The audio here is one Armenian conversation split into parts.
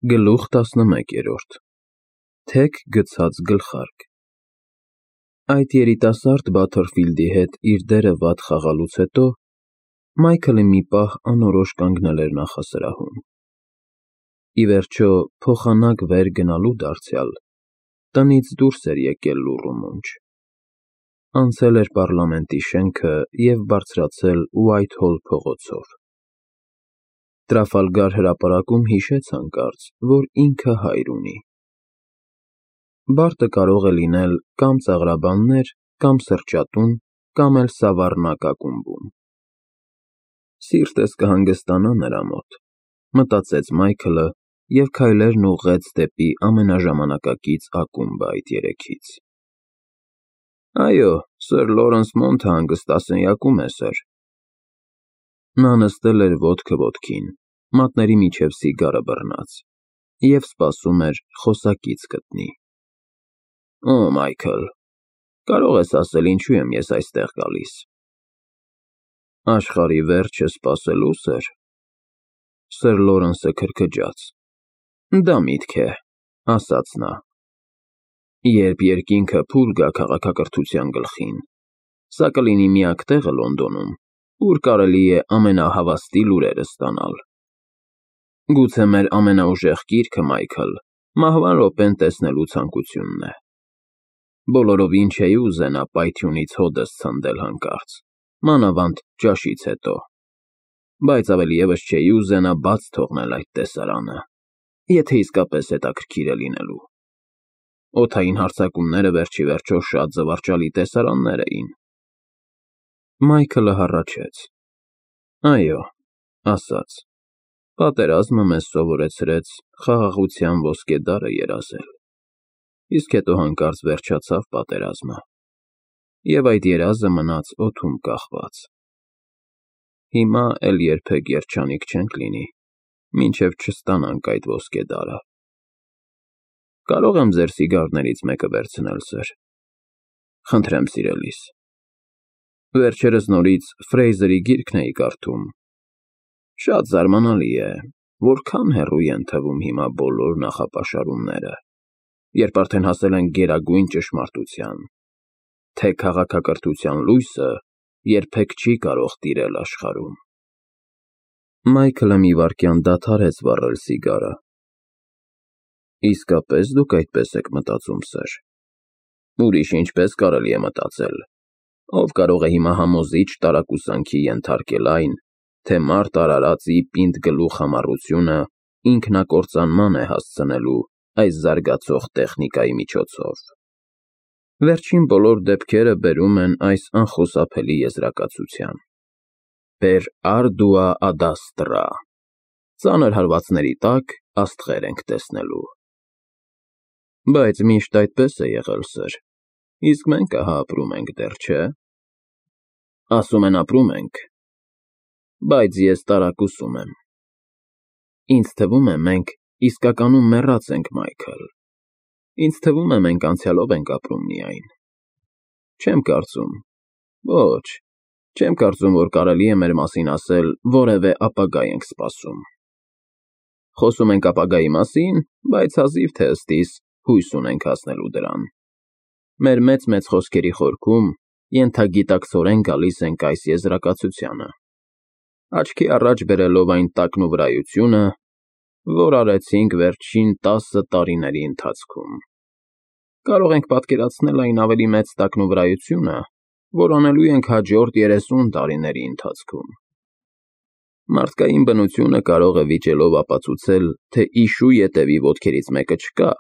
Գլուխ 11 Թեք գցած գլխարկ Այդ երիտասարդ Բաթերֆիլդի հետ իր դերը վատ խաղալուց հետո Մայքլը մի պահ անորոշ կանգնել էր նախասրահում։ Ի վերջո, փոխանակ վեր գնալու դարձյալ, տնից դուրս էր եկել լուռ ու մունջ։ Անցել էր պառլամենտի շենքը և բարձրացել Ուայթհոլ փողոցով։ Տրաֆալգար հրապարակում հիշեց հանկարծ, որ ինքը հայր ունի։ Բարտը կարող է լինել կամ ծաղրաբաններ, կամ սրճատուն, կամ էլ Սավառնակ ակումբում։ Սիրտս կհանգստանա նրա մոտ, մտածեց Մայքլը և քայլերն ուղղեց դեպի ամենաժամանակակից ակումբը այդ երեքից։ Այո, Սըր Լորենս Մոնթը հանգստասենյակում է, սըր։ Նա նստել էր ոտքը ոտքին, մատների միջև սիգարը բռնած, և սպասում էր խոսակից գտնի։ Օ, Մայքլ, կարող ես ասել ինչու եմ ես այստեղ գալիս։ Աշխարհի վերջը սպասելու, սըր։ Սըր Լորենսը քրքջաց։ Դա միտք է, ասաց նա։ Երբ երկինքը փուլ գա քաղաքակրթության գլխին, սա կլինի միակ տեղը Լոնդոնում, ուր կարելի է ամենահավաստի լուրերը ստանալ։ Գուցե մեր ամենաուժեղ գիրքը, Մայքլ, մահվան րոպեն տեսնելու ցանկությունն է։ Բոլորովին չէի ուզենա պայթյունից հոդս ցնդել հանկարծ, մանավանդ ճաշից հետո, բայց ավելի ևս չէի ուզենա բաց թողնել այդ տեսարանը, եթե իսկապես հետաքրքիր է լինելու։ Օդային հարձակումները վերջիվերջո շատ զվարճալի տեսարաններ էին։ Մայքլը հառաչեց։ Այո, ասաց, պատերազմը մեզ սովորեցրեց խաղաղության ոսկե դարը երազել, իսկ հետո հանկարծ վերջացավ պատերազմը, և այդ երազը մնաց օդում կախված։ Հիմա էլ երբեք երջանիկ չենք լինի, մինչև չստանանք այդ ոսկե դարը։ Կարո՞ղ եմ ձեր սիգարներից մեկը վերցնել, սըր։ Խնդրեմ, սիրելիս։ Վերջերս նորից Ֆրեյզերի գիրքն էի կարդում։ Շատ զարմանալի է, որքան հեռու են թվում հիմա բոլոր նախապաշարումները, երբ արդեն հասել ենք գերագույն ճշմարտության, թե քաղաքակրթության լույսը երբեք չի կարող տիրել աշխարհում։ Մայքլը մի վայրկյան դադարեց վառել սիգարը։ Իսկապես դուք այդպես եք մտածում, սըր։ Ուրիշ ինչպես կարելի է մտածել։ Ով կարող է հիմա համոզիչ տարակուսանքի ենթարկել այն, թե մարդ արարածի պինդ գլուխ համառությունը ինքնակործանման է հասցնելու այս զարգացող տեխնիկայի միջոցով։ Վերջին բոլոր դեպքերը բերում են այս անխուսափելի եզրակացության. Per ardua ad astra, ծանր հարվածների տակ աստղեր ենք տեսնելու։ Բայց միշտ այդպես է եղել, սըր, իսկ մենք ահա ապրում ենք դեռ, չէ։ Ասում են ապրում ենք, բայց ես տարակուսում եմ։ Ինձ թվում է մենք իսկականում մեռած ենք, Մայքլ։ Ինձ թվում է մենք անցյալով ենք ապրում միայն։ Չեմ կարծում, ոչ, չեմ կարծում, որ կարելի է մեր մասին ասել որևէ ապագա ենք սպասում։ Խոսում ենք ապագայի մասին, բայց հազիվ թե ըստիս հույս ունենք հասնելու դրան։ Մեր մեծ-մեծ խոսքերի խորքում ենթագիտակցորեն գալիս ենք այս եզրակացությանը, աչքի առաջ բերելով այն տակնուվրայությունը, որ արեցինք վերջին 10 տարիների ընթացքում։ Կարող ենք պատկերացնել այն ավելի մեծ տակնուվրայությունը, որ անելու ենք հաջորդ 30 տարիների ընթացքում։ Մարդկային բնությունը կարող է վիճելով ապացուցել, թե իշու ետևի ոտքերից մեկը չկա,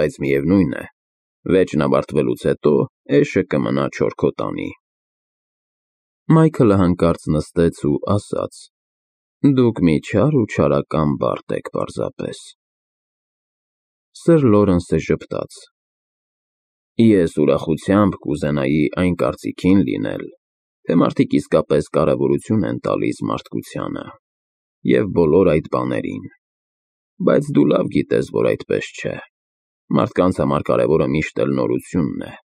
բայց միևնույն է, վեճն ավարտվելուց հետո էշը կմնա չորքոտանի։ Մայքլը հանկարծ նստեց ու ասաց. Դուք մի չար ու չարական բարդ եք պարզապես։ Սըր Լորենսը ժպտաց. Ես ուրախությամբ կուզենայի այն կարծիքին լինել, թե մարդիկ իսկապես կարևորություն են տալիս մարդկությանը և բոլոր այդ բաներին, բայց դու լավ գիտես, որ այդպես չէ։ Մարդկանց համար կարևորը միշտ էլ նորությունն է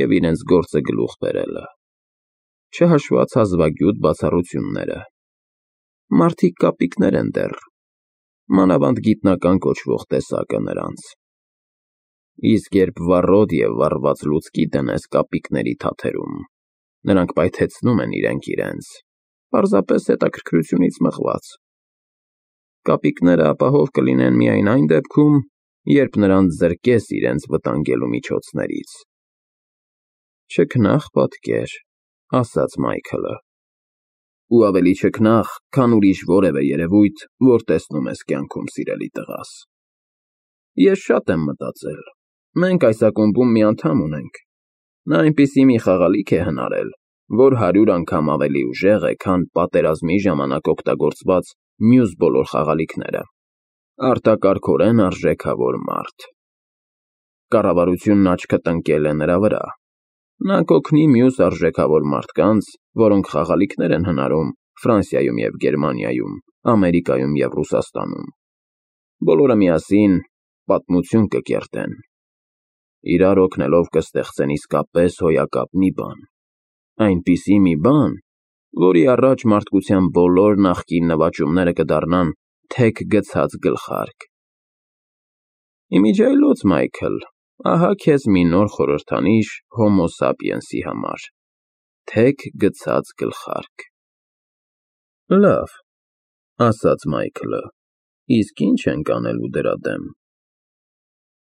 և իրենց գործը գլուխ բերելը, չհաշված հազվագյուտ բացառությունները։ Մարդիկ կապիկներ են դեռ, մանավանդ գիտնական կոչվող տեսակը նրանց։ Իսկ երբ վառոդ և վառված լուցկի դնես կապիկների թաթերում, նրանք պայթեցնում են իրենք իրենց, պարզապես հետաքրքրությունից մղված։ Կապիկները ապահով կլինեն միայն այն դեպքում, երբ նրանց զրկես իրենց վտանգելու միջոցներից։ Չքնաղ պատկեր, ասաց Մայքլը, ու ավելի չքնաղ, քան ուրիշ որևէ երևույթ, որ տեսնում ես կյանքում, սիրելի տղաս։ Ես շատ եմ մտածել, մենք այս ակումբում մի անդամ ունենք, նա այնպիսի մի խաղալիք է հնարել, որ 100 անգամ ավելի ուժեղ է, քան պատերազմի ժամանակ օգտագործված մյուս բոլոր խաղալիքները, արտակարգորեն արժեքավոր մարդ։ Կառավարությունն աչքը տնկել է նրա վրա, նա կօգնի մյուս արժեքավոր մարդկանց, որոնք խաղալիքներ են հնարում Ֆրանսիայում և Գերմանիայում, Ամերիկայում և Ռուսաստանում, բոլորը միասին պատմություն կկերտեն, իրար օգնելով կստեղծեն իսկապես հոյակապ մի բան, այնպիսի մի բան, որի առաջ մարդկության բոլոր նախկին նվաճումները կդառնան թեք գցած գլխարկ։ Իմիջիայլոց, Մայքլ, ահա քեզ մի նոր խորհրդանիշ հոմո սապիենսի համար, թեք գցած գլխարկ։ Լավ, ասաց Մայքլը, իսկ ինչ ենք անելու դրա դեմ։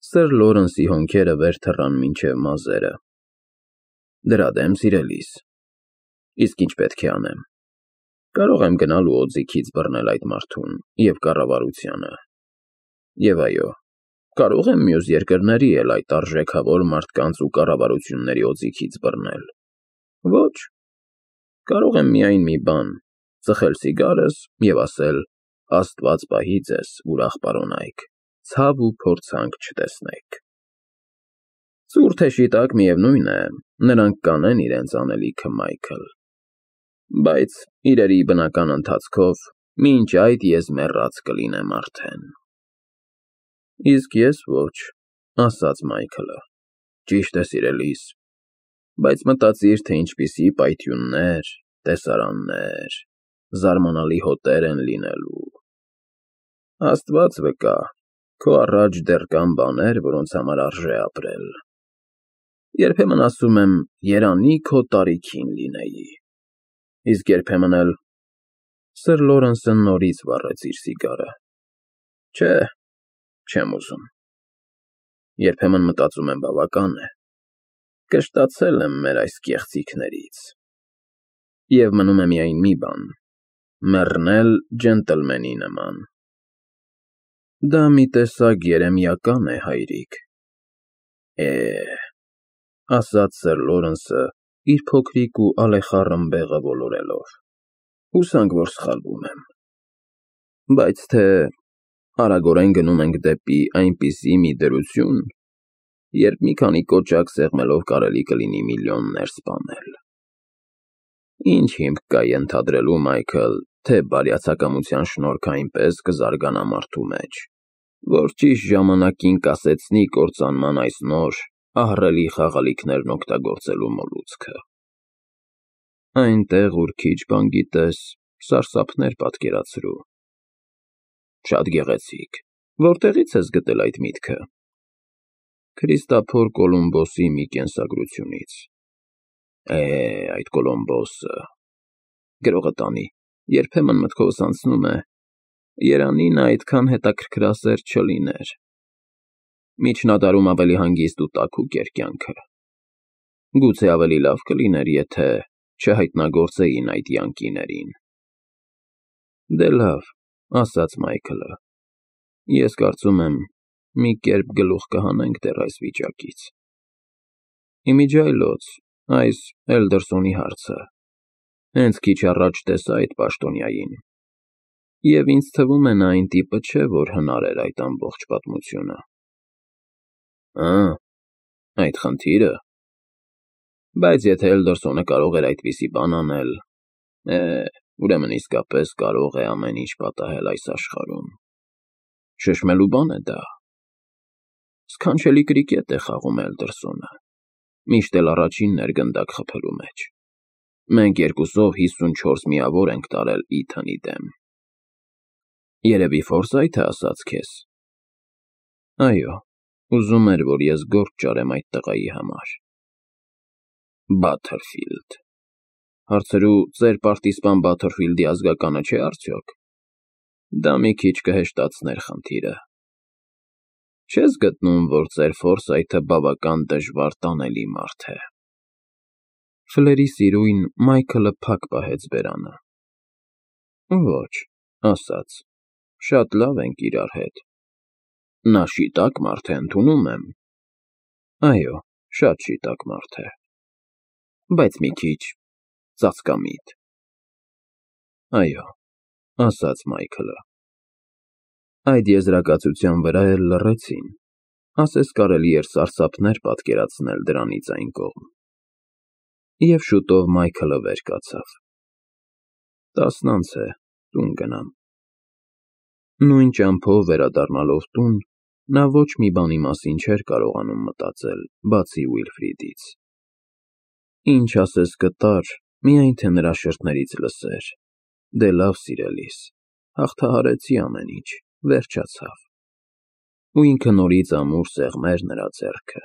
Սըր Լորենսի հոնքերը վեր թռան մինչև մազերը։ Դրա դեմ, սիրելիս, իսկ ինչ պետք է անեմ։ Կարող եմ գնալ ու օձիքից բռնել այդ մարդուն և կառավարությանը։ Եվ այո, կարող եմ մյուս երկրների էլ այդ արժեքավոր մարդկանց ու կառավարությունների օձիքից բռնել։ Ոչ, կարող եմ միայն մի բան, ծխել սիգարս և ասել. Աստված պահի ձեզ, ուրախ պարոնայք, ցավ ու փորձանք չտեսնեք։ Ծուռ թե շիտակ, միևնույն է, նրանք կանեն իրենց անելիքը, Մայքլ, բայց իրերի բնական ընթացքով մինչ այդ ես մեռած կլինեմ արդեն։ Իսկ ես ոչ, ասաց Մայքլը, ճիշտ է, սիրելիս, բայց մտածիր, թե ինչպիսի պայթյուններ, տեսարաններ, զարմանալի հոտեր են լինելու։ Աստված վկա, քո առաջ դեռ կան բաներ, որոնց համար արժե ապրել։ Երբեմն ասում եմ, երանի քո տարիքին լինեի, իսկ երբեմն էլ… Սըր Լորենսը նորից վառեց իր սիգարը։ Չէ, չեմ ուզում։ Երբեմն մտածում եմ, բավական է, կշտացել եմ մեր այս կեղծիքներից։ Եվ մնում է միայն մի բան՝ մեռնել ջենտլմենի նման։ Դա մի տեսակ երեմիական է, հայրիկ։ Ասաց սըր Լորենսը իր փոքրիկ ու ալեխառն բեղը ոլորելով, հուսանք, որ սխալվում եմ։ Բայց թե արագորեն գնում ենք դեպի այնպիսի մի դրություն, երբ մի քանի կոճակ սեղմելով կարելի կլինի միլիոններ սպանել։ Ինչ հիմք կա ենթադրելու, Մայքլ, թե բարյացակամության շնորհքը այնպես կզարգանա մարդու մեջ, որ ճիշտ ժամանակին կասեցնի կործանման այս նոր, ահռելի խաղալիքներն օգտագործելու մոլուցքը։ Այնտեղ, ուր քիչ բան գիտես, սարսափներ պատկերացրու։ Շատ գեղեցիկ, որտեղի՞ց ես գտել այդ միտքը։ Քրիստափոր Կոլումբոսի մի կենսագրությունից։ Այդ Կոլումբոսը… Գրողը տանի, երբեմն մտքովս անցնում է, երանի նա այդքան հետաքրքրասեր չլիներ։ Միջնադարում ավելի հանգիստ ու տաքուկ էր կյանքը։ Գուցե ավելի լավ կլիներ, եթե չհայտնագործեին այդ յանկիներին։ Դե լավ, ասաց Մայքլը, ես կարծում եմ, մի կերպ գլուխ կհանենք դեռ այս վիճակից։ Իմիջիայլոց, այս Էլդերսոնի հարցը, հենց քիչ առաջ տեսա այդ պաշտոնյային, և ինձ թվում է նա այն տիպը չէ, որ հնարեր այդ ամբողջ պատմությունը։ Այդ խնդիրը… Բայց եթե Էլդերսոնը կարող էր այդպիսի բան անել, ուրեմն իսկապես կարող է ամեն ինչ պատահել այս աշխարհում։ Շշմելու բան է դա։ Սքանչելի կրիկետ է խաղում Էլդերսոնը, միշտ էլ առաջինն էր գնդակ խփելու մեջ։ Մենք երկուսով 54 միավոր ենք տարել Իթանի դեմ։ Երևի Ֆորսայթը ասաց քեզ։ Այո, ուզում էր, որ ես գործ ճարեմ այդ տղայի համար։ Բաթերֆիլդ։ Հարցրու ձեր պարտիզպան Բաթերֆիլդի ազգականը չէ արդյոք։ Դա մի քիչ կհեշտացներ խնդիրը։ Չես գտնում, որ ձեր Ֆորսայթը բավական դժվար տանելի մարդ է։ Ֆլերի սիրույն Մայքլը փակ պահեց բերանը։ Ոչ, ասաց, շատ լավ ենք իրար հետ։ Նա շիտակ մարդ է, ընդունում եմ։ Այո, շատ շիտակ մարդ է։ Բայց մի քիչ ծածկամիտ։ Այո, ասաց Մայքլը։ Այդ եզրակացության վրա էլ լռեցին, ասես կարելի էր սարսափներ պատկերացնել դրանից այն կողմ։ Եվ շուտով Մայքլը վեր կացավ։ 10 է, տուն գնամ։ Նույն ճամփով վերադառնալով տուն, նա ոչ մի բանի մասին չէր կարողանում մտածել, բացի Ուիլֆրիդից։ Ինչ ասես կտար, միայն թե նրա շրթներից լսեր. Դե լավ, սիրելիս, հաղթահարեցի ամեն ինչ, վերջացավ։ Ու ինքը նորից ամուր սեղմեր նրա ձեռքը։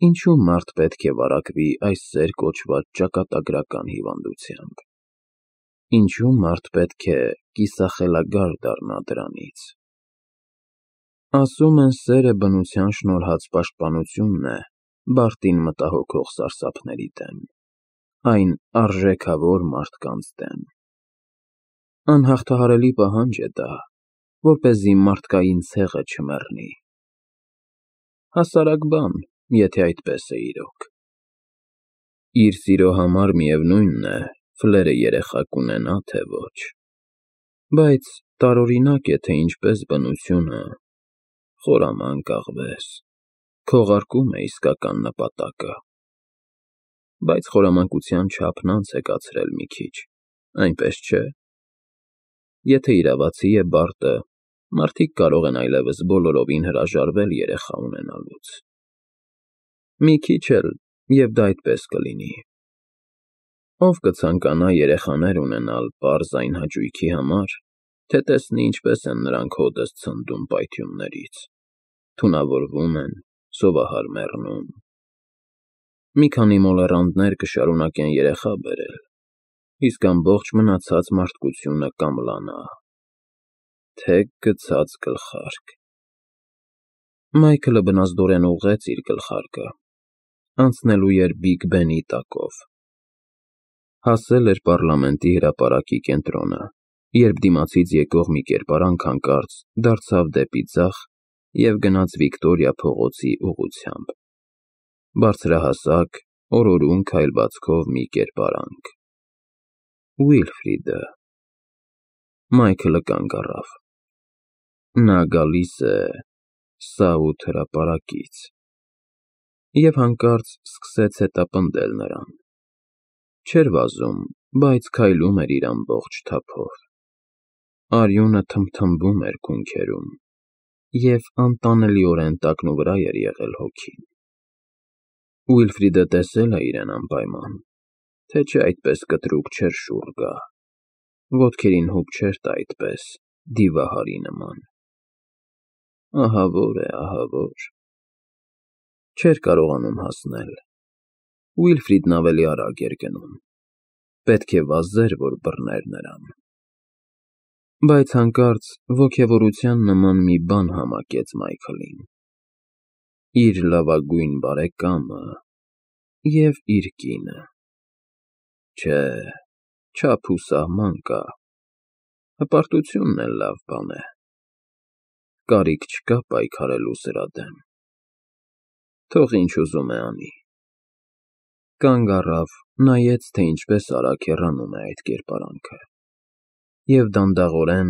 Ինչու մարդ պետք է վարակվի այս սեր կոչված ճակատագրական հիվանդությամբ։ Ինչու մարդ պետք է կիսախելագար դառնա դրանից։ Ասում են, սերը բնության շնորհած պաշտպանությունն է բարտին մտահոգող սարսափների դեմ, այն արժեքավոր մարդկանց դեմ։ Անհաղթահարելի պահանջ է դա, որպեսզի մարդկային ցեղը չմեռնի։ Հասարակ բան, եթե այդպես է իրոք։ Իր սիրո համար միևնույնն է, Ֆլերը երեխա կունենա, թե ոչ։ Բայց տարօրինակ է, թե ինչպես բնությունը, խորամանկ աղվես, քողարկում է իսկական նպատակը։ Բայց խորամանկության չափն անց է կացրել մի քիչ, այնպես չէ։ Եթե իրավացի է բարտը, մարդիկ կարող են այլևս բոլորովին հրաժարվել երեխա ունենալուց։ Մի քիչ էլ, և դա այդպես կլինի։ Ով կցանկանա երեխաներ ունենալ պարզ այն հաճույքի համար, թե տեսնի ինչպես են նրանք հօդս ցնդում պայթյուններից, թունավորվում են, սովահար մեռնում։ Մի քանի մոլեռանդներ կշարունակեն երեխա բերել, իսկ ամբողջ մնացած մարդկությունը կամլանա։ Թեք գցած գլխարկ։ Մայքլը բնազդորեն ուղղեց իր գլխարկը, անցնելու էր Բիգ Բենի տակով։ Հասել էր պառլամենտի հրապարակի կենտրոնը, երբ դիմացից եկող մի կերպարանք հանկարծ դարձավ դեպի ձախ և գնաց Վիկտորիա փողոցի ուղղությամբ։ Բարձրահասակ, օրորուն քայլվածքով մի կերպարանք։ Ուիլֆրիդը։ Մայքլը կանգ առավ։ Նա գալիս է Սաութ հրապարակից։ Եվ հանկարծ սկսեց հետապնդել նրան։ Չէր վազում, բայց քայլում էր իր ամբողջ թափով։ Արյունը թմթմվում էր քունքերում, և անտանելիորեն տակնուվրա էր եղել հոգին։ Ուիլֆրիդը տեսել է իրեն անպայման, թե չէ այդպես կտրուկ չէր շուռ գա, ոտքերին հուպ չէր տա այդպես, դիվահարի նման։ Ահավոր է, ահավոր։ Չէր կարողանում հասնել։ Ուիլֆրիդն ավելի արագ էր գնում։ Պետք է վազեր, որ բռներ նրան։ Բայց հանկարծ ոգևորության նման մի բան համակեց Մայքլին։ Իր լավագույն բարեկամը և իր կինը։ Չէ, չափ ու սահման կա։ Հպարտությունն էլ լավ բան է։ Կարիք չկա պայքարելու սրա դեմ։ Թող ինչ ուզում է անի։ Կանգ առավ, նայեց, թե ինչպես արագ հեռանում է այդ կերպարանքը, և դանդաղորեն,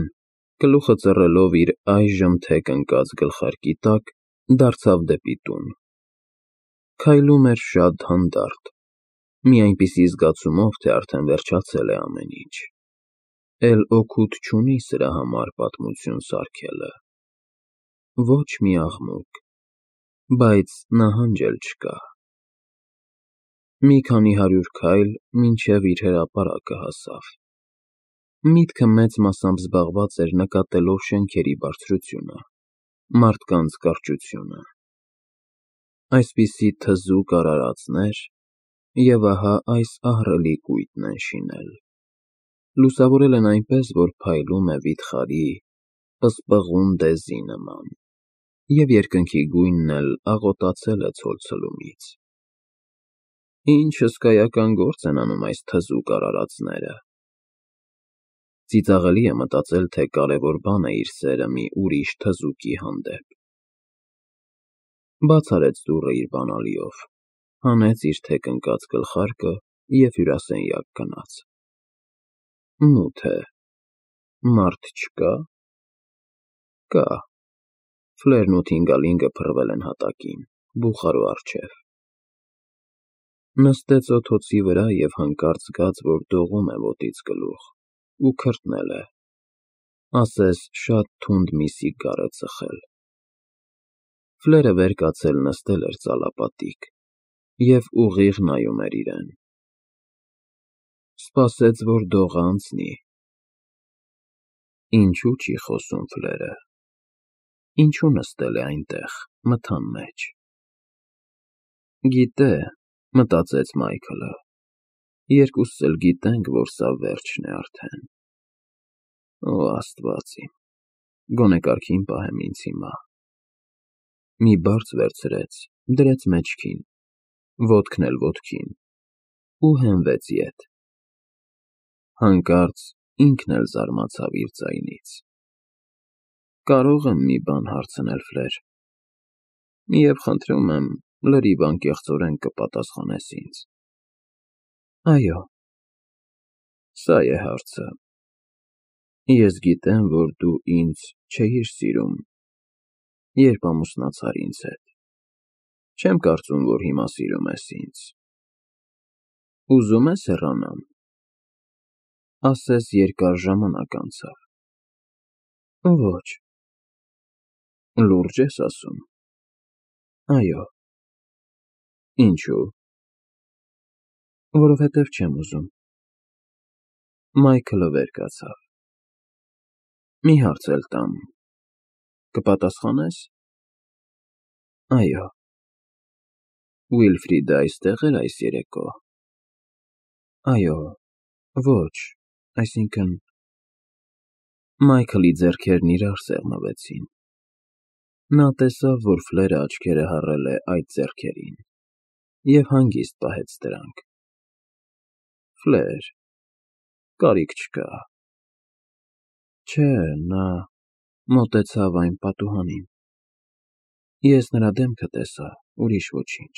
գլուխը ծռելով իր այժմ թեք ընկած գլխարկի տակ, դարձավ դեպի տուն։ Քայլում էր շատ հանդարտ, մի այնպիսի զգացումով, թե արդեն վերջացել է ամեն ինչ։ Էլ օգուտ չունի սրա համար պատմություն սարքելը։ Ոչ մի աղմուկ, բայց նահանջ էլ չկա։ Մի քանի հարյուր քայլ, մինչև իր հրապարակը հասավ։ Միտքը մեծ մասամբ զբաղված էր նկատելով շենքերի բարձրությունը, մարդկանց կարճությունը։ Այսպիսի թզուկ արարածներ, և ահա այս ահռելի կույտն են շինել։ Լուսավորել են այնպես, որ փայլում է վիթխարի, պսպղուն դեզի նման, և երկնքի գույնն էլ աղոտացել է ցոլցլումից։ Ինչ հսկայական գործ են անում այս թզուկ արարածները։ Ծիծաղելի է մտածել, թե կարևոր բան է իր սերը մի ուրիշ թզուկի հանդեպ։ Բաց արեց դուռը իր բանալիով, հանեց իր թեք ընկած գլխարկը և հյուրասենյակ գնաց։ Մութ է, մարդ չկա։ Կա։ Ֆլերն ու Թինգալինգը փռվել են հատակին, բուխարու առջև։ Նստեց օթոցի վրա և հանկարծ զգաց, որ դողում է ոտից գլուխ ու քրտնել է, ասես շատ թունդ մի սիգար է ծխել։ Ֆլերը վեր կացել նստել էր ծալապատիկ և ուղիղ նայում էր իրեն։ Սպասեց, որ դողը անցնի։ Ինչու չի խոսում Ֆլերը։ Ինչու նստել է այնտեղ, մթան մեջ։ Գիտե, մտածեց Մայքլը, երկուսս էլ գիտենք, որ սա վերջն է արդեն։ Օ, Աստված իմ, գոնե կարգին պահեմ ինձ հիմա։ Մի բարձ վերցրեց, դրեց մեջքին, ոտքն էլ ոտքին, ու հենվեց ետ։ Հանկարծ ինքն էլ զարմացավ իր ձայնից։ Կարո՞ղ եմ մի բան հարցնել, Ֆլեր։ Եվ խնդրում եմ, լրիվ անկեղծորեն կպատասխանես ինձ։ Այո։ Սա է հարցը։ Ես գիտեմ, որ դու ինձ չէիր սիրում, երբ ամուսնացար ինձ հետ։ Չեմ կարծում, որ հիմա սիրում ես ինձ։ Ուզում ես հեռանամ։ Ասես երկար ժամանակ անցավ։ Ոչ։ Լուրջ ես ասում։ Այո։ Ինչու։ Որովհետև չեմ ուզում։ Մայքլը վեր կացավ։ Մի հարց էլ տամ, կպատասխանե՞ս։ Այո։ Ուիլֆրիդը այստեղ էր այս երեկո։ Այո, ոչ, այսինքն… Մայքլի ձեռքերն իրար սեղմվեցին։ Նա տեսավ, որ Ֆլերը աչքերը հառել է այդ ձեռքերին և հանգիստ պահեց դրանք։ Ֆլեր, կարիք չկա։ Չէ, նա մոտեցավ այն պատուհանին։ Ես նրա դեմքը տեսա, ուրիշ ոչինչ։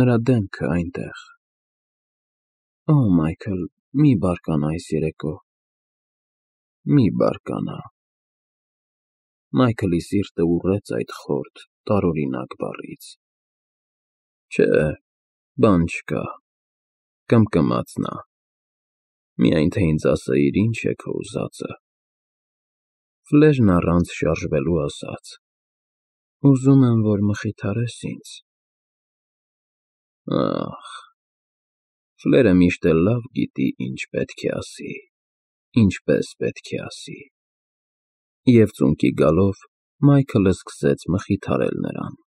Նրա դեմքը այնտեղ։ Օ, Մայքլ, մի բարկանա այս երեկո։ Մի բարկանա։ Մայքլի սիրտը ուռեց այդ խորթ, տարօրինակ բառից։ Չէ, բան չկա, կմկմաց նա։ Միայն թե ինձ ասեիր ինչ է քո ուզածը։ Ֆլերն առանց շարժվելու ասաց. Ուզում եմ, որ մխիթարես ինձ։ Ախ… Ֆլերը միշտ էլ լավ գիտի ինչ պետք է ասի, ինչպես պետք է ասի։ Եվ ծունկի գալով Մայքլը սկսեց մխիթարել նրան։